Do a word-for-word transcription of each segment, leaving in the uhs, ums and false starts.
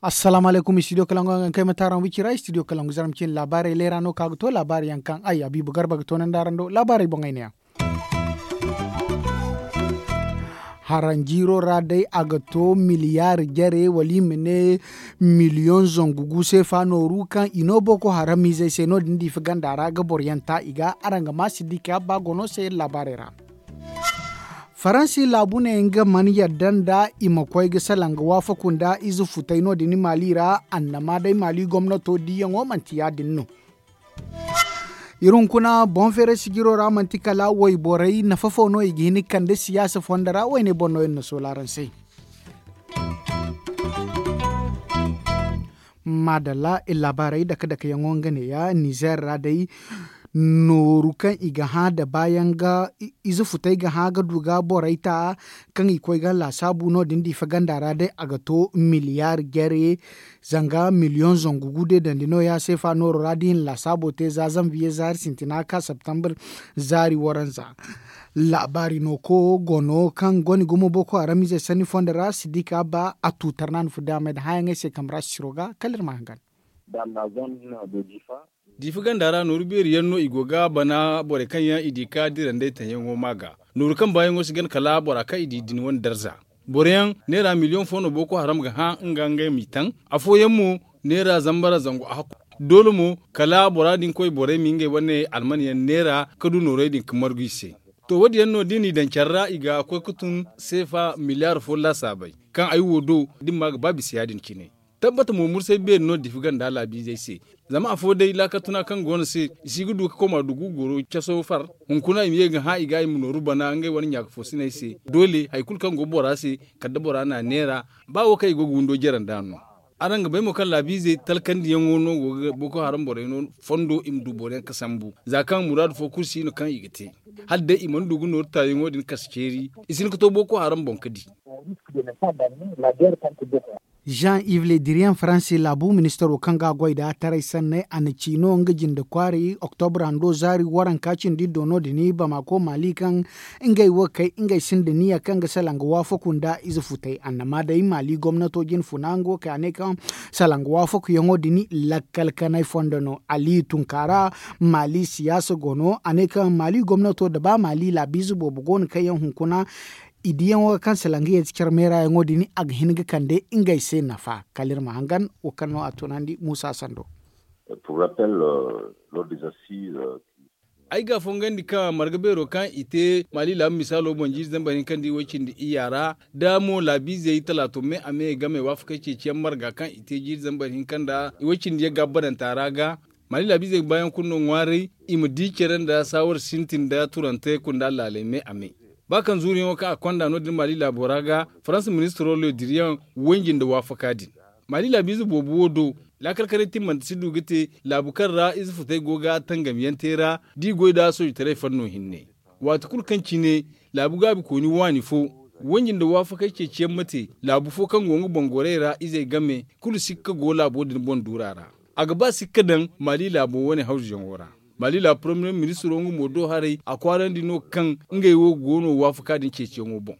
Assalaamu alaykum, studio kalangu yaŋ ga kay mate araŋ wicira studio kalangu zaram cine laabaarey leera no ka ga to laabaari yaŋ kaŋ ay habiibu garba ga toonandi araŋ do laabaarey boŋ ay ne yaŋ. Haranjiiro ra day a ga to miliyaari jare wala i ma ne miliyoŋ zangu gu seefa nooru kaŋ i no boko haram izey se no- din diifa ganda ra ga boro yaŋ ta i ga araŋ ga ma si di ka ba gono se laabaarey ra. Faransi laabu ne nga mana yadda nda i ma koy ga salaŋ ga waafaku nda ize futay no- din maali ra annama day maali gomnato diyaŋo manti ya- din no. Iri hunkuna boŋ feeray sijiro ra manti kala wayborey nafa fo no i ga hin ga kande siyaasa fondo ra wayne boŋ no iri na soola araŋ se. Maadalla iri laabaarey dake dake yaŋo nga neeya nizeer ra day nooru kaŋ i ga hã nda baayaŋ ga ize futay ga hã ga du ga borey ta kaŋ i koy ga laasaabu no- din diifa ganda ra day a ga to miliyaari jare zanga miliyoŋ zangu gu deedandi no- ya seefa nooro ra da i na laasaabo te za zanviye zaari sintina ka septembre zaari waranza. Laabaari no ko gono kaŋ goni gumo boko haram ize sanni fondo ra si di ka ba a tuutar na ni fu daamay nda hãyaŋey se kambe ra sisiro ga kala iri ma hangan. Diifa ganda ra nooru beeri yaŋ no i go ga bana borey kaŋ yaŋ i di ka dirandey taŋ yaŋo ma ga nooru kaŋ baayaŋo si gana kala bora kaŋ i di din wane darza. Boro yaŋ neera miliyoŋ fo no boko haram ga hã nga ngey m'i taŋ. Afooyaŋ mo neera zambara zangu a hakku. Doole mo kala bora din koy borey ma ngey wane alman yaŋ neera ka du noorey din ga margu i se. To wo- din yaŋ no da i n'i daŋ care ra i ga koy ga tun seefa miliyaari fo laasaabey kaŋ ay wo do da ni ma ga ba bisa ya- din cine. Tabbata mo mursay beeri no diifa ganda laabiizey se. Zama afo day laakal tuna kaŋ go no se i si ga du ga koma dugu goro caso far. Hunkuna i ma ye ga hã i ga i ma nooru bana ngey wane ɲaaka foosiney se doole hari kulu kaŋ go bora se kala da bora n'a neera. Ba wo kaŋ i go ga windo jare nd'a no. Araŋ ga bay mo kaŋ laabiizey talkandiyaŋo no go ga boko haram borey no fondo i ma du boro yaŋ ga sambu za kaŋ muraadu fo kulu si no kaŋ i ga te. Hala day i mana du ga nooru taayaŋo din kasa ceeri i si hin ga to boko haram boŋ ga di. Jean yves le diriyaŋ faransi laabu ministaro kaŋ ga a goy nd'a taray sanney a na ci no nga jinde kwaari oktobra hando zaari waranka cindi do no- din bamako maali kaŋ ngey wo kay ngey sinda niya kaŋ ga salaŋ ga waafaku nda ize futay annama day maali gomnato jine funa nga wo kay a ne kaŋ salaŋ ga waafakuyaŋo din lakkal kanay fondo no ali tunkaara maali siyaasa go no a ne kaŋ maali gomnato nda ba maali laabiize boobo go no kaŋ yaŋ hunkuna i diyaŋo ga kaŋ salaŋ ga yeeti care meerayaŋo din a ga hin ga kande ngey se nafa kala iri ma hangan wo kaŋ no a tunandi muusa sando. Ay ga a fongandi ka marga beero kaŋ i te maali laabu misaalo boŋ jiiri zambar hinka nda i way cindi iyya ra da mo laabiizey talaato me a me game waafakey ceeciyaŋ marga kaŋ i te jiiri zambar hinka nda i way cindi yagga bananta ra ga. Maali laabiizey ga baayaŋ kulu no ŋwaaray i ma di care nda saawar sintin nda turante kunda laaley me a me. Ba kaŋ zuuriyaŋo kaŋ a konda no- din maali laabo ra ga faransa ministiro le diriyaŋ wanji nda waafaka din. Maali laabiize boobo wo do laakal kanay timmante si du ga te laabu kaŋ ra ize futey go ga tangamyaŋ te ra da i goy nd'a soojitaray fanno hinne. Waati kulu kaŋ cine laabu gaabikooni waani fo wanji nda waafakey ceeciyaŋ ma te laabu fo kaŋ go nga boŋ gorey ra izey game kulu sikka go laabo din boŋ duura ra. A ga ba sikka daŋ maali laabo wane hawzuyaŋo ra. Maali laabu poromiyee ministiro nga mo do haray a kwaarandi no kaŋ ngey wo go no waafaka din ceeciyaŋo boŋ.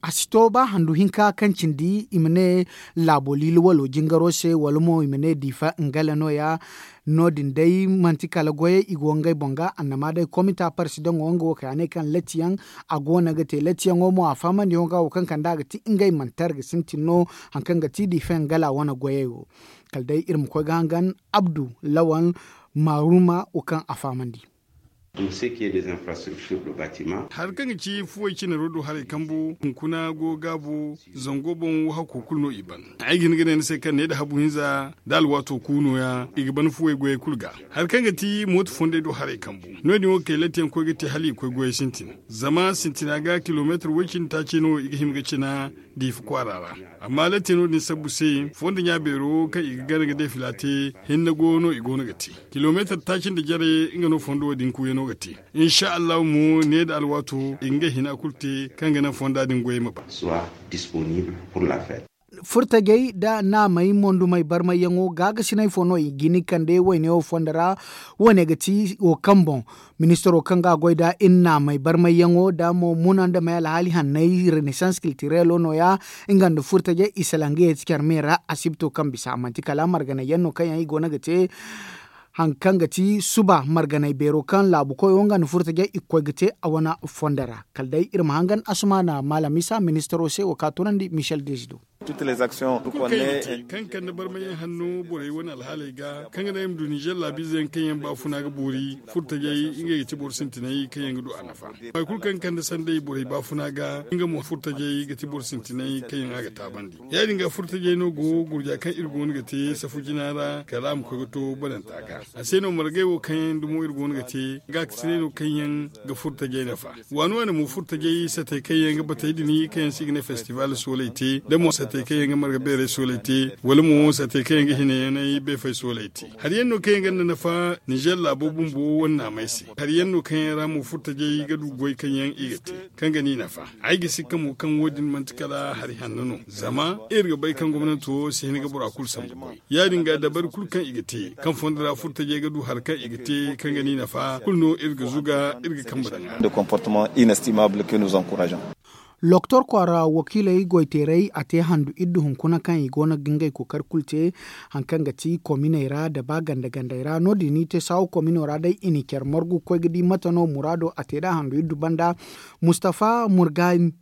A si to ba handu hinka kaŋ cindi i ma ne laabo liili walo jingaro se wala mo i ma ne diifa ngala nooya. No- din day manti kala goyey i go ngey boŋ ga annama day komita parsidaŋo nga wo kay a ne kaŋ latiyaŋ a go no ga te latiyaŋo mo a fahamandi yaŋo ga wo kaŋ kande a ga ti ngey manti a ga sintin no. Hari kaŋ ga ti diifa ngala wane goyey wo kala day iri ma koy ga hangan abdu lawan maaruma wo kaŋ a fahamandi. Hari kaŋ ga ci fuwey cinaro do haray kambu hunkuna go gaabu zango boŋ wo hakko kulu no i ban. Ay ga hin ga ne ni se kaŋ ne nda habu hinza nda alwaato ku nooya i ga ban fuwey goyey kulu ga. Hari kaŋ ga ti mooto fondey do haray kambu no- din wo kay latiyaŋ koy ga te hala i koy goyey sintin. Zama sintina ga kilomeetar way cindi taaci no i ga hima ga cina diifa kwaara ra. Amma latiyaŋo din sabbu se fondo ɲa beero kaŋ i ga gana ga day fila te hinne go no i go no ga te. Kilomeetar taaci nda jare nga no fondo wo din kuuyano ga te. Insa allahu mo ne nda alwaato i ga ngey hina kulu te kaŋ ga naŋ fonda din goyey ma ba. Furtajey nda naamey mondumey barmayyaŋo gaagasiney fo no i ga hin ga kande wayne wo fondo ra. Wo- ne ga ti wo kaŋ boŋ ministaro kaŋ ga a goy nd'a iri naamey barmayyaŋo nda mo muna nda may alhaali hanney renesans kiltirelo no- ya. Nga nda furtajey i salaŋ ga ye ti care me ra asibto kaŋ bisa manti kala marganey yaŋ no kaŋ yaŋ i go no ga te hari kaŋ ga ti suba marganey beero kaŋ laabu koyo nga nda furtajey i ga koy ga te a wane fondo ra. Kala day iri ma hangan asumaana maalam isa ministaro se wo kaŋ a tunandi michel dezido. Kaŋ kande barmayaŋ hanno borey wane alhaaley ga kaŋ ga naŋ iri ma du ninzeer laabiize yaŋ kaŋ yaŋ baafuna ga boori furtajey ngey ga ti boro sintinay kaŋ yaŋ ga du a nafa. Hari kulu kaŋ kande sanday borey baafuna ga nga mo furtajey ga ti boro sintinay kaŋ yaŋ a ga taabandi. Ya- din ga furtajey no go gurja kaŋ iri go no ga te safu jina ra kala a ma koy ga to bananta ga. A se no margey wo kaŋ yaŋ dumo iri go no ga te gaakasiney no kaŋ yaŋ ga furtajey nafa. Waani waani mo furtajey satey kaŋ yaŋ ga batey din kaŋ yaŋ se i ga ne festival sooley te da mo satey kaŋ yaŋ ga marga beerey sooley te wala mo satey kaŋ yaŋ ga hinayaney beefey sooley te. Hari yaŋ no kaŋ yaŋ ganda nafa ninzeer laabo bumbo wane naamey se. Hari yaŋ no kaŋ yaŋ ra mo furtajey ga du goy kaŋ yaŋ i ga te kaŋ ga ni nafa. Ay ga si ka mo kaŋ wo- din manti kala hari hanno no zama iri ga bay kaŋ gomnanto si hin ga bora kulu sambu goy. Ya- din ga dabari kulu kaŋ i ga te kaŋ fondo ra furtajey ga du hari kaŋ i ga te kaŋ ga ni nafa kulu no iri ga zuga iri ga kambe daŋ a. Loktor kwaara wakiiley goyteeray a te handu iddu hunkuna kaŋ i go no ga ngey kookari kulu te. Hari kaŋ ga ti kominey ra nda ba ganda gandey ra no- din i te saawo komino ra day i na care margu ga koy ga di mate no muraado a te nd'a handu iddu banda. Mustafa murgani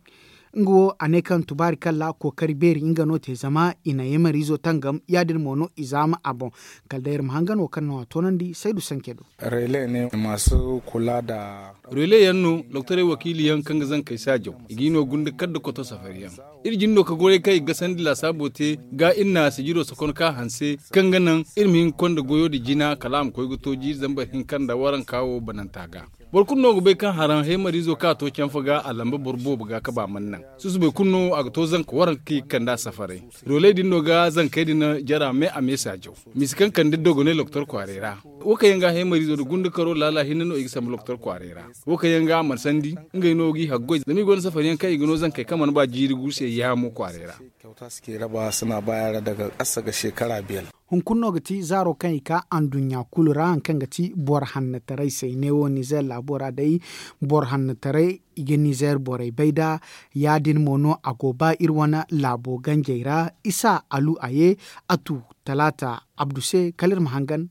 nga wo a ne kaŋ tubaari kalla kookari beeri nga no te zama i na yamariizo tangam ya- din mo no i zaama a boŋ. Kala day iri ma hangan wo kaŋ no a toonandi saydu sanke do. Relais ne masu kula da. Relais yaŋ no doktorey wakiili yaŋ kaŋ ga zankey saajaw i ga i no gunda kala nda koto safari yaŋ. Iri jin no ka goray kaŋ i ga gasandi laasaabo te ga iri na sijiro sokon ka hanse kaŋ ga naŋ iri ma hin ga konda goyo nda jina kala a ma koy ga to jiiri zambar hinka nda waranka wo bananta ga. Boro kulu no ga bay kaŋ haraŋ heemariizo kaŋ a to canfa ga a lamba boro boobo ga kaba mana naŋ. Susubay kulu no a ga to zanka waranka kaŋ i ga kande a safaray. Rooley din no ga zankey din jara me a me saajaw. Misi kaŋ kande dogoney loktor kwaaray ra. Wo kaŋ yaŋ ga heemariizo nda gunda karo laala hinne no i ga sambu loktor kwaaray ra. Wo kaŋ yaŋ ga a mana sandi ngey no g'i haggoy zama i gonda safari yaŋ kaŋ i ga no zankey kaŋ mana ba jiiri gu se yaamo kwaaray ra. Kyauta suke raba suna bayar daga kasa ga shekara biyar. Hunkuna no ga ti zaaro kaŋ i ka anduɲɲa kulu ra hari kaŋ ga ti boro hannataray se ne wo nizer laabo ra day. Boro hannataray i ga nizer borey bay nd'a. Ya- din mo no a go ba iri wane laabo ganjey ra isa alu a ye a tu talaata abdu se kala iri ma hangan.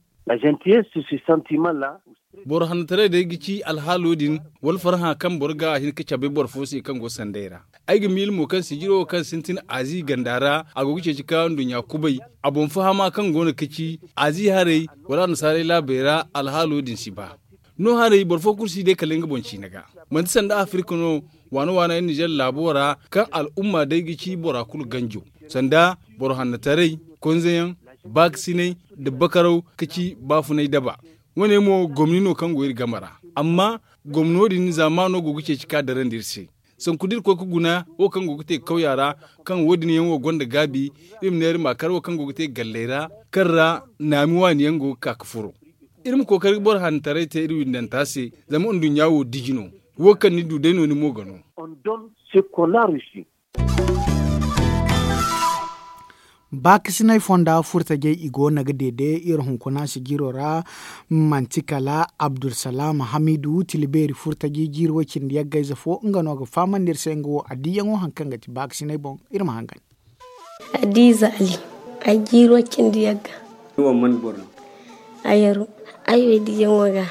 Boro hannataray day ga ci alhaalo din wala farhã kaŋ boro ga hin ga cabe boro fo se kaŋ go sanday ra. Ay ga miila mo kaŋ sijiro wo kaŋ sintin azi ganda ra a go ga ceeci ka nduɲɲa kubay. A boŋ fahama kaŋ go no ga ci azi haray wala annasaarey laabey ra alhaalo din si ba. No haray boro fo kulu si day kala nga boŋ ciine ga. Manti sanda afirka no waana waana yaŋ nizer laabo ra kaŋ al'umma day ga ci bora kulu ganjo sanda boro hannataray konzeyaŋ baakasinay nda bakaraw ga ci baafunay daba. Wo- ne mo gomni no kaŋ go iri game ra. Amma gomno din zaamaano go ga ceeci ka darandi iri se. Sanku da iri koy ga guna wo kaŋ go ga te kawya ra kaŋ wo- din yaŋ wo gonda gaabi. Iri ma ne iri ma kar wo kaŋ go ga te galley ra kaŋ ra naami waani yaŋ go ga ka ga furo. Iri ma kookari ga boro hannataray te iri windanta se zama nduɲɲa wo diji no. Wo kaŋ ni du day no ni mo ga no. Baakasinay fonda furtajey i go no ga deede iri hunkuna sijiro ra. Manti kala abdulsalaam hamidu tila beeri furtaji jiiri way cindi yaggayze fo nga no ga fahamandi iri se nga wo addiyaŋo hari kaŋ ga ti baakasinay boŋ. Iri ma hangan. Hadiza ali. Ay jiiri way cindi yagga. Ni wo man boro no? Ayaru. Ay wo ay diyaŋo ga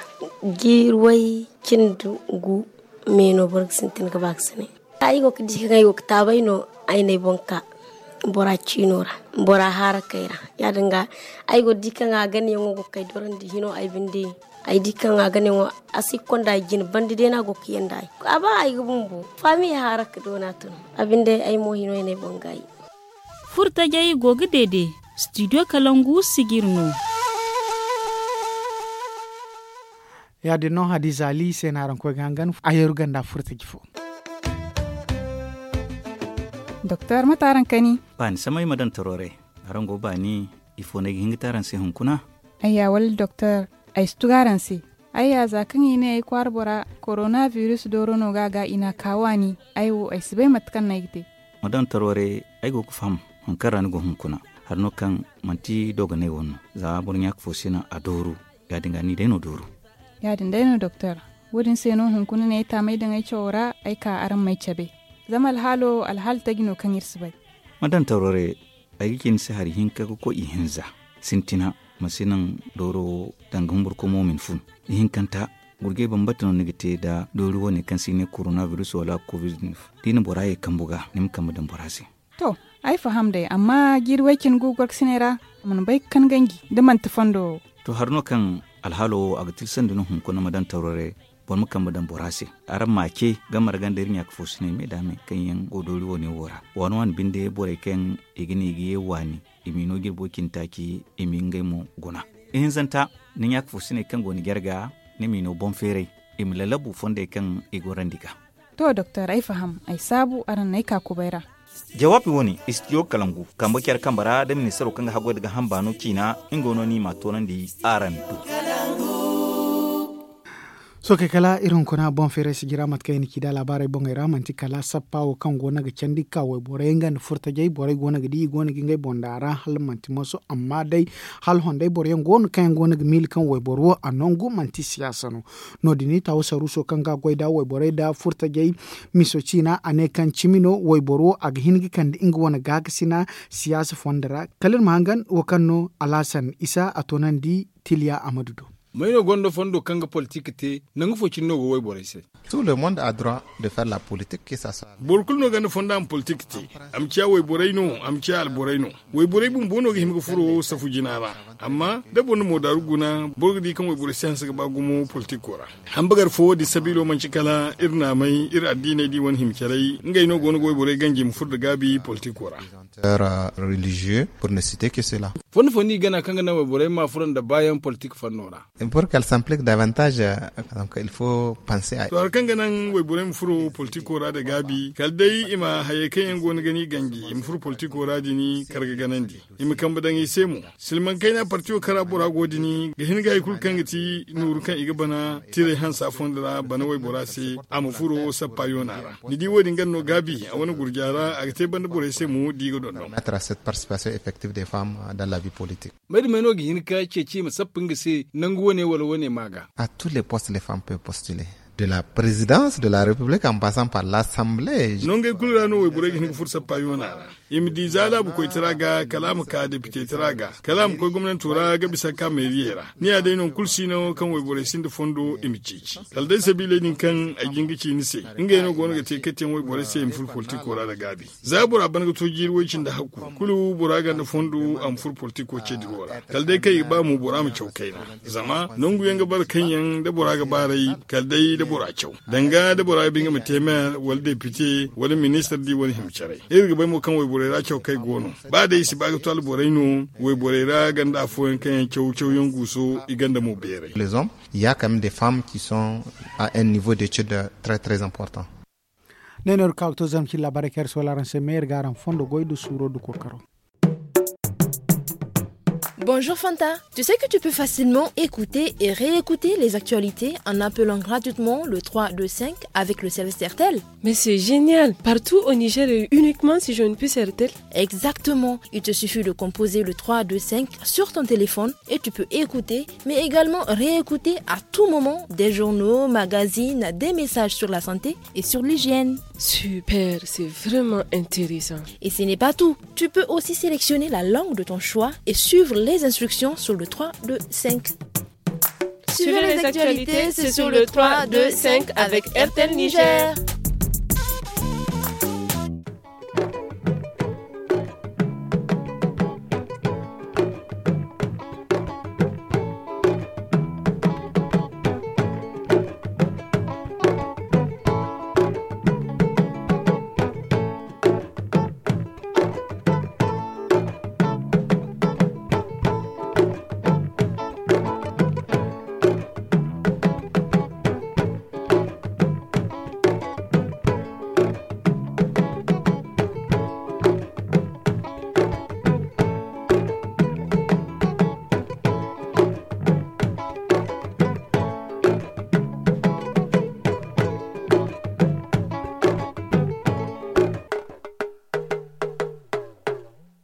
jiiri way cindi gu me no boro ga sintin ga baakasinay. Ay go ga di kaŋ ay go ga taabay no ay n'ay boŋ ka bora ciino ra bora haarakey ra. Ya- din ga ay go ga di kaŋ a ganayaŋo go ga kay dorandi hino ay binde. Ay di kaŋ a ganayaŋo a si ga konda ay jine banda day no a go ga yanda ay a ba ay ga bumbo faami haaraka doona tun. A binde ay mo hino ay n'ay boŋ gaayi. Furtajey go ga deede. Studio kalangu sijir no. Ya- din no hadiza ali se no araŋ koy ga hangan a yeeru ganda furtaji fo. Doktor mate araŋ kani? Baani samay ma daŋ toroore. Araŋ go baani ifo no ay ga hin ga te araŋ se hunkuna? Ayya wala doktor, ay si tugu araŋ se. Ayya za kaŋ i ne ay kwaara bora korona biris dooro no ga a ga i n'a ka waani. Ay wo ay si bay mate kaŋ no ay ga te. Ma daŋ toroore. Ay go ga faham. Hari no kaŋ manti dogonay wane no, za boro ɲaaka fo si naŋ a dooru. Ya- din ga ni day no dooru. Ya- din day no doktor. Wo- din se no hunkuna ne ay taamay daŋ ay cawo ra, ay ka araŋ m'ay cabe. Zama alhaalo alhaali taji no kaŋ iri si bay. Ma daŋ tawrare. Ay ga ci ni se hari hinka ga koy ihinza. Sintina, ma si naŋ dooro wo danga humburkomo ma ni fun. Ihinkanta, gurjay bambata no ni ga te nda doori wane kaŋ se i ne korona biris wala covid-19. Da i na bora ye kambu ga, ni ma kambe daŋ bora se. To, ay faham day, amma jiiri way cine gu gorkasiney ra, a mana bay ga kan ganji da manti fondo wo. To, hari no kaŋ alhaalo wo a ga tilasandi no hunkuna ma daŋ tawrare, boro ma kambe daŋ bora se. Araŋ ma a ce, gamara ganda iri ɲaaka fo sinay me da me kaŋ yaŋ go doori wane wo ra. Waani waani binde borey kaŋ i ga ne i ga ye waani, i m'i no jirbo cine taaci, i m'i ngey mo guna. Ihinzanta, ni ɲaaka fo sinay kaŋ go ni jarga, ni m'i no boŋ feeray, i ma lalabu fondey kaŋ i gorandi ga. To doktor, ay faham, ay saabu araŋ n'ay ka kubay ra. Jawaabi wane istidiyo kalangu kambe care kambe ra da ministaro kaŋ ga haggoy da ga hamba no ciina. Nga no ni ma toonandi araŋ do. Sookey kala iri hunkuna boŋ feeray sijira mate kaŋ i na ci da laabaarey boŋey ra manti kala sappa wo kaŋ go no ga candi ga ka wayborey nga nda furtajey borey go no ga di i go no ga ngey boŋ daŋ a ra hala manti moso amma day hala hondey boro yaŋ go no kaŋ yaŋ go no ga miila kaŋ wayboro wo a nangu manti siyaasa no. No- din taawo saruuso kaŋ ga goy nda wayborey nda furtajey miso ciina a ne kaŋ cimi no wayboro wo a ga hin ga kande nga wane gaakasina siyaasa fondo ra. Kala iri ma hangan wo kaŋ no alhasan isa a toonandi tiliya amadu do. May no gonda fondo kaŋ ga politik te? Nangu fo cine no go wayborey se. Tout le monde a droit de faire la politique que ça soit. Boro kulu no gonda fondo a ma politik te. A ma ciya wayborey no, a ma ciya alborey no. Wayborey bumbo no ga hima ga furo safu jina ra. Amma da boro na moodaaru guna boro ga di kaŋ wayborey si hanse ga ba gumo politiko ra. Hambagar fo wo- din sabiilo manci kala iri naamey iri addiiney da i wane hima caray ngey no go no ga wayborey ganji i ma furo nda gaabi politiko ra. Religieux pour ne citer que cela. Fondo fondo i gana kaŋ ga naŋ wayborey ma furo nda baayaŋ politik fanno ra. Pour qu'elle s'implique davantage, donc il faut penser à. To hari kaŋ ga naŋ wayborey ma furo politiko ra nda gaabi kala day i ma hayey kaŋ yaŋ go no ga ni ganji i ma furo politiko ra din kar ga ganandi. I ma kambe daŋ i se mo. Silmaŋ kayna partiyo kaŋ ra bora go din ga hin ga hari kulu kaŋ ga ti nooru kaŋ i ga bana tiray hansa fondo ra bana waybora se a ma furo sappa yoona ra. Ni di wo- din ganda no gaabi a wane gurja ra a ga te banda borey se mo da i ga dondon. Permettre à cette participation effective des femmes dans la vie politique. May da may no ga hin ga ceeci i ma sappa nga se nangu wane wala wane ma ga. À tous les postes les femmes peuvent postuler, de la présidence de la république en passant par l'assemblée. Nongey kulu ra no wayborey ga hin ga furo sappa yoona ra. I ma di za laabu koytara ga kala a ma ka depite tara ga kala a ma koy gomnanto ra ga bisa ga ka meeriyey ra. Ni ya day nangu kulu si no kaŋ wayborey sinda fondo i ma ceeci kala day sabiiley din kaŋ ay jin ga ci ni se. Ngey no go no ga te katiyaŋ wayborey se i ma furo politiko ra nda gaabi. Za bora ban ga to jiiri way cindi hakku kulu bora ganda fondo a ma furo politiko ce diro ra kala day kaŋ i ga ba mo bora ma caw kayna. Zama nangu yaŋ ga bara kaŋ yaŋ da bora ga baaray kala day da bora caw danga da bora ga ba nga ma te meer wala depite wala ministar di wane hima caray. Iri ga bay mo kaŋ wayborey ra caw kay go no. Ba day i si ba ga to alborey no wayborey ra ganda afooyaŋ kaŋ yaŋ caw caw yaŋ guuso i ganda mo beeray. Les hommes, il y a quand même des femmes qui sont à un niveau d'étude très très important. Ne no iri ka ga to zama cine laabaarey kaŋ iri si wala araŋ se me iri ga araŋ fondo goy nda suuro nda kookaro. Bonjour Fanta. Tu sais que tu peux facilement écouter et réécouter les actualités en appelant gratuitement le trois deux cinq avec le service R T L. Mais c'est génial. Partout au Niger et uniquement si je ne puis R T L. Exactement. Il te suffit de composer le trois deux cinq sur ton téléphone et tu peux écouter mais également réécouter à tout moment des journaux, magazines, des messages sur la santé et sur l'hygiène. Super, c'est vraiment intéressant. Et ce n'est pas tout. Tu peux aussi sélectionner la langue de ton choix et suivre les instructions sur le trois deux cinq. Suivez les actualités, c'est sur le trois deux cinq avec R T L Niger.